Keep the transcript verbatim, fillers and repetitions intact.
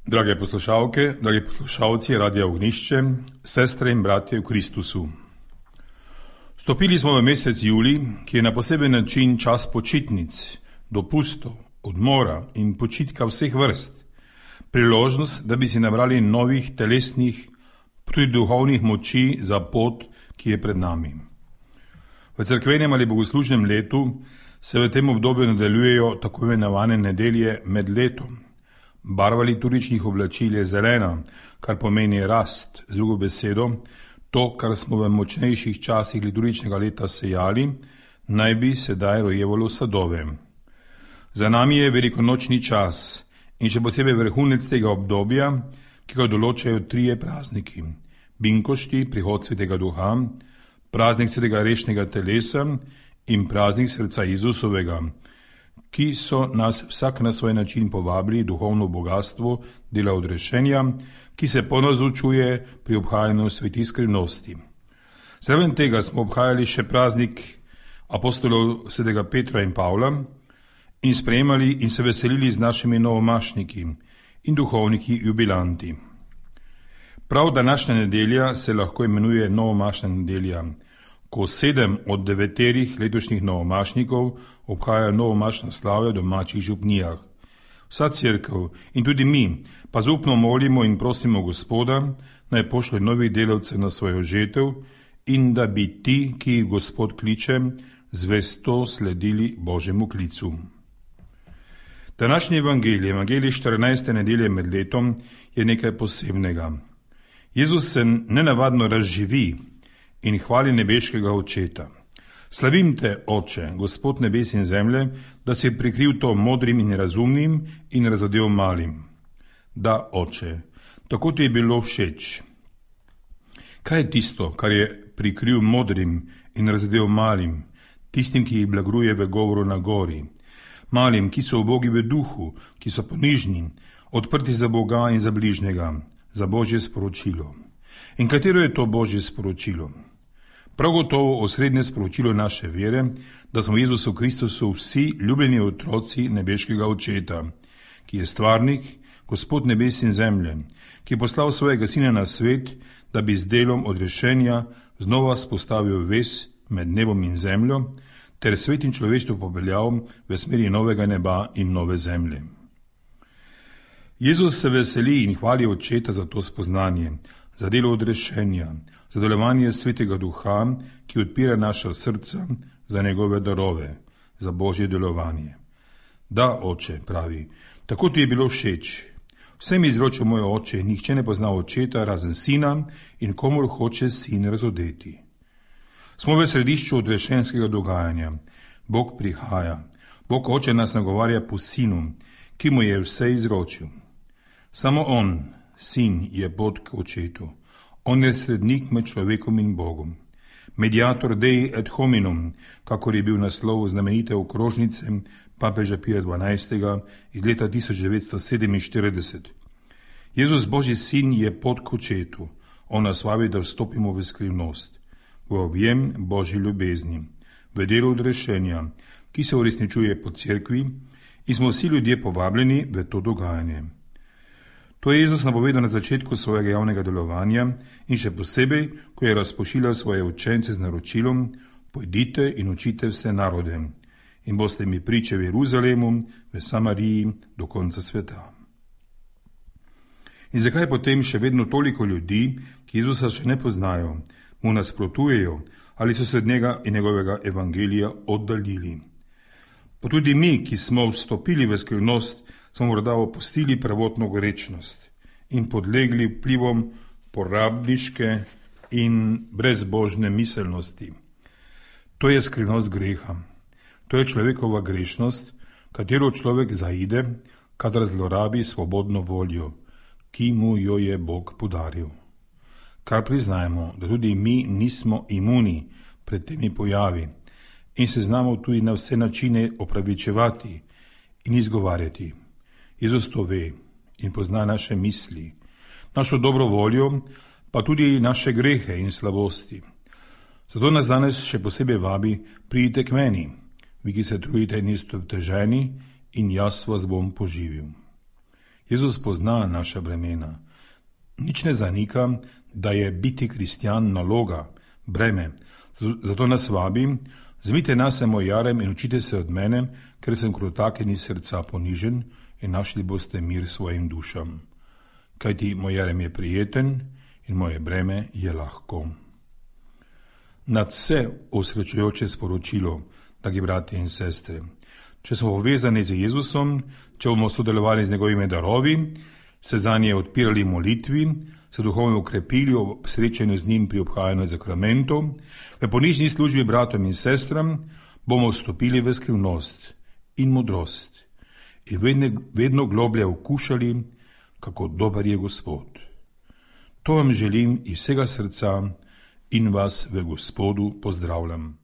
Drage poslušalke, dragi poslušalci Radia Ognišče, sestre in bratje v Kristusu. Vstopili smo v mesec julij, ki je na poseben način čas počitnic, dopustov, odmora in počitka vseh vrst. Priložnost, da bi si nabrali novih telesnih, tudi duhovnih moči za pot, ki je pred nami. V cerkvenem ali bogoslužnem letu se v tem obdobju nadaljujejo tako imenovane nedelje med letom. Barva liturgičnih oblačil je zelena, kar pomeni rast, z drugo besedo, to, kar smo v močnejših časih liturgičnega leta sejali, naj bi sedaj rojevalo sadove. Za nami je velikonočni čas in še posebej vrhunec tega obdobja, ki ga določajo trije prazniki: binkošti, prihod Svetega Duha, praznik Svetega rešnega telesa in praznik srca Jezusovega, ki so nas vsak na svoj način povabili duhovno bogatstvo dela odrešenja, ki se ponazočuje pri obhajanju svetih skrivnosti. Zraven tega smo obhajali še praznik apostolov svetega Petra in Pavla in sprejemali in se veselili z našimi novomašniki in duhovniki jubilanti. Prav današnja nedelja se lahko imenuje novomašna nedelja, ko sedem od deveterih letošnjih novomašnikov obhaja novomašno slavje v domačih župnijah. Vsa cerkev in tudi mi pa zaupno molimo in prosimo Gospoda, naj pošlje novih delavcev na svojo žetev in da bi ti, ki jih Gospod kliče, zvesto sledili Božjemu klicu. Današnji evangelij, evangelij štirinajste nedelje med letom, je nekaj posebnega. Jezus se nenavadno razživi in hvali nebeškega Očeta. Slavim te, Oče, Gospod nebes in zemlje, da si prikril to modrim in razumnim in razodel malim. Da, Oče, tako ti je bilo všeč. Kaj je tisto, kar je prikril modrim in razodel malim, tistim, ki jih blagruje v govoru na gori, malim, ki so ubogi v duhu, ki so ponižni, odprti za Boga in za bližnjega, za Božje sporočilo. In katero je to Božje sporočilo? Prav gotovo osrednje sporočilo naše vere, da smo v Jezusu Kristusu vsi ljubljeni otroci nebeškega Očeta, ki je stvarnik, Gospod nebes in zemlje, ki je poslal svojega Sina na svet, da bi z delom odrešenja znova spostavil vez med nebom in zemljo, ter svet in človeštvo popeljal v smeri novega neba in nove zemlje. Jezus se veseli in hvali Očeta za to spoznanje, za delo odrešenja, za delovanje Svetega Duha, ki odpira naša srca za njegove darove, za Božje delovanje. Da, Oče, pravi, tako ti je bilo všeč. Vse mi izročil moj Oče, nihče ne pozna Očeta razen Sina in komur hoče Sin razodeti. Smo v središču odrešenskega dogajanja. Bog prihaja. Bog Oče nas nagovarja po Sinu, ki mu je vse izročil. Samo on, Sin, je pot k Očetu. On je srednik med človekom in Bogom. Mediator Dei et hominum, kakor je bil naslov znamenite okrožnice papeža Pija dvanajstega iz leta tisoč devetsto sedeminštirideset. Jezus Božji Sin je pot k Očetu. On nas vabi, da vstopimo v skrivnost, v objem Božji ljubezni, v delo odrešenja, ki se uresničuje po cerkvi in smo vsi ljudje povabljeni v to dogajanje. To je Jezus napovedal na začetku svojega javnega delovanja in še posebej, ko je razpošiljal svoje učence z naročilom: pojdite in učite vse narode in boste mi priče v Jeruzalemu, v Samariji, do konca sveta. In zakaj potem še vedno toliko ljudi, ki Jezusa še ne poznajo, mu nasprotujejo ali so se od njega in njegovega evangelija oddaljili? Pa tudi mi, ki smo vstopili v skrivnost, smo morda opustili prvotno gorečnost in podlegli vplivom porabniške in brezbožne miselnosti. To je skrivnost greha. To je človekova grešnost, katero človek zaide, kadar zlorabi svobodno voljo, ki mu jo je Bog podaril. Kar priznajmo, da tudi mi nismo imuni pred temi pojavi in se znamo tudi na vse načine opravičevati in izgovarjati. Jezus to ve in pozna naše misli, našo dobro voljo, pa tudi naše grehe in slabosti. Zato nas danes še posebej vabi: pridite k meni, vi, ki se trudite in ste obteženi, in jaz vas bom poživil. Jezus pozna naša bremena. Nič ne zanika, da je biti kristjan naloga, breme. Zato nas vabi, vzemite nase moj jarem in učite se od mene, ker sem krotaken iz srca ponižen, in našli boste mir svojim dušam. Kajti moj jarem je prijeten in moje breme je lahko. Nad vse osrečujoče sporočilo, dragi bratje in sestre. Če smo povezani z Jezusom, če bomo sodelovali z njegovimi darovi, se zanje odpirali molitvi, se duhovno ukrepili ob srečanju z njim pri obhajanju zakramentov, v ponižni službi bratom in sestram, bomo vstopili v skrivnost in modrost in vedno, vedno globlje okušali, kako dober je Gospod. To vam želim iz vsega srca in vas v Gospodu pozdravljam.